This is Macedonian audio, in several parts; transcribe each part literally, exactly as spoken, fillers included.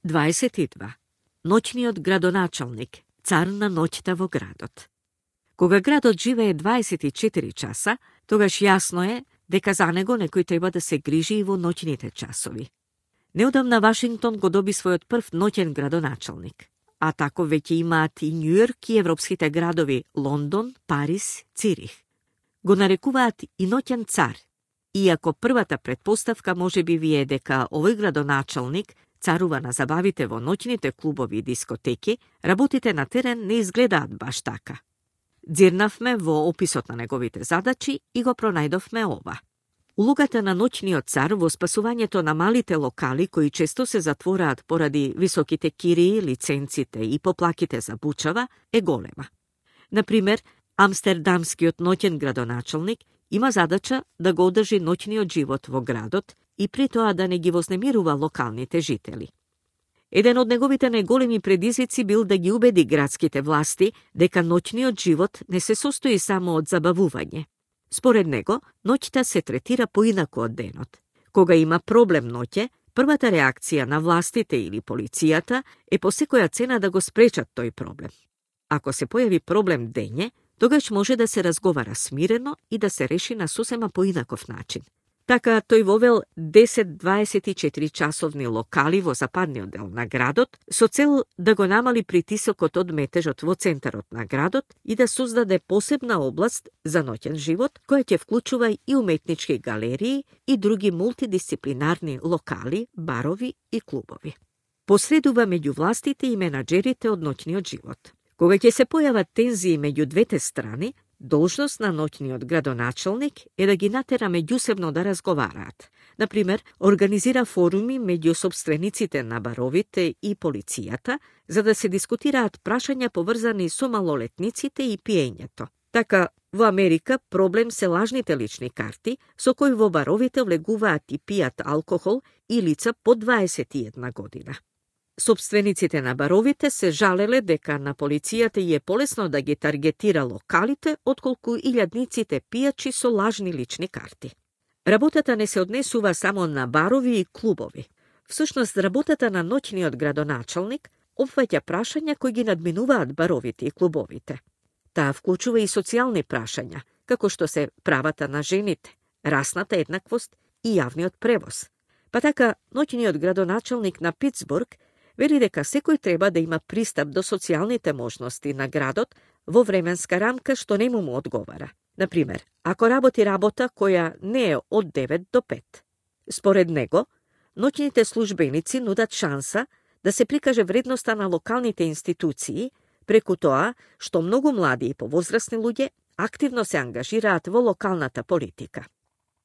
дваесет и два. Ноќниот градоначалник, цар на ноќта во градот. Кога градот живее дваесет и четири часа, тогаш јасно е дека за него некој треба да се грижи и во ноќните часови. Неодамна Вашингтон го доби својот прв ноќен градоначалник, а тако веќе имаат и Њујорк и европските градови Лондон, Париз, Цирих. Го нарекуваат и ноќен цар, иако првата претпоставка може би ви е дека овој градоначалник царува на забавите во ноќните клубови и дискотеки, работите на терен не изгледаат баш така. Дзирнавме во описот на неговите задачи и го пронајдовме ова. Улогата на ноќниот цар во спасувањето на малите локали кои често се затвораат поради високите кирии, лиценците и поплаките за бучава е голема. Например, амстердамскиот ноќен градоначалник има задача да го одржи ноќниот живот во градот и при тоа да не ги вознемирува локалните жители. Еден од неговите најголеми предизвици бил да ги убеди градските власти дека ноќниот живот не се состои само од забавување. Според него, ноќта се третира поинаку од денот. Кога има проблем ноќе, првата реакција на властите или полицијата е по секоја цена да го спречат тој проблем. Ако се појави проблем дење, тогаш може да се разговара смирено и да се реши на сосема поинаков начин. Така, тој вовел десет дваесет и четири часовни локали во западниот дел на градот со цел да го намали притисокот од метежот во центарот на градот и да создаде посебна област за ноќен живот, која ќе вклучува и уметнички галерии и други мултидисциплинарни локали, барови и клубови. Посредува меѓу властите и менаџерите од ноќниот живот. Кога ќе се појават тензии меѓу двете страни, должност на ноќниот градоначалник е да ги натера меѓусебно да разговараат. Например, организира форуми меѓу сопствениците на баровите и полицијата, за да се дискутираат прашања поврзани со малолетниците и пиењето. Така, во Америка проблем се лажните лични карти, со кои во баровите влегуваат и пијат алкохол и лица по дваесет и една година. Собствениците на баровите се жалеле дека на полицијата и е полесно да ги таргетира локалите, отколку илјадниците пијачи со лажни лични карти. Работата не се однесува само на барови и клубови. Всушност, работата на ноќниот градоначалник опфаќа прашања кои ги надминуваат баровите и клубовите. Таа вклучува и социјални прашања, како што се правата на жените, расната еднаквост и јавниот превоз. Па така, ноќниот градоначалник на Питсбург вели дека секој треба да има пристап до социјалните можности на градот во временска рамка што не му му одговара. Например, ако работи работа која не е од девет до пет. Според него, ноќните службеници нудат шанса да се прикаже вредноста на локалните институции преку тоа што многу млади и повозрасни луѓе активно се ангажираат во локалната политика.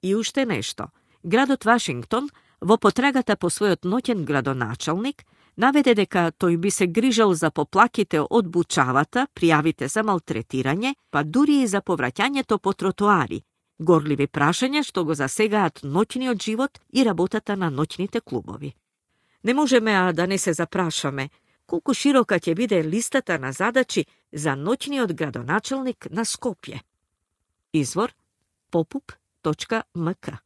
И уште нешто. Градот Вашингтон во потрагата по својот ноќен градоначалник наведе дека тој би се грижал за поплаките од бучавата, пријавите за малтретирање, па дури и за повраќањето по тротоари, горливи прашања што го засегаат ноќниот живот и работата на ноќните клубови. Не можеме а да не се запрашаме колку широка ќе биде листата на задачи за ноќниот градоначалник на Скопје. Извор попуп точка ем ка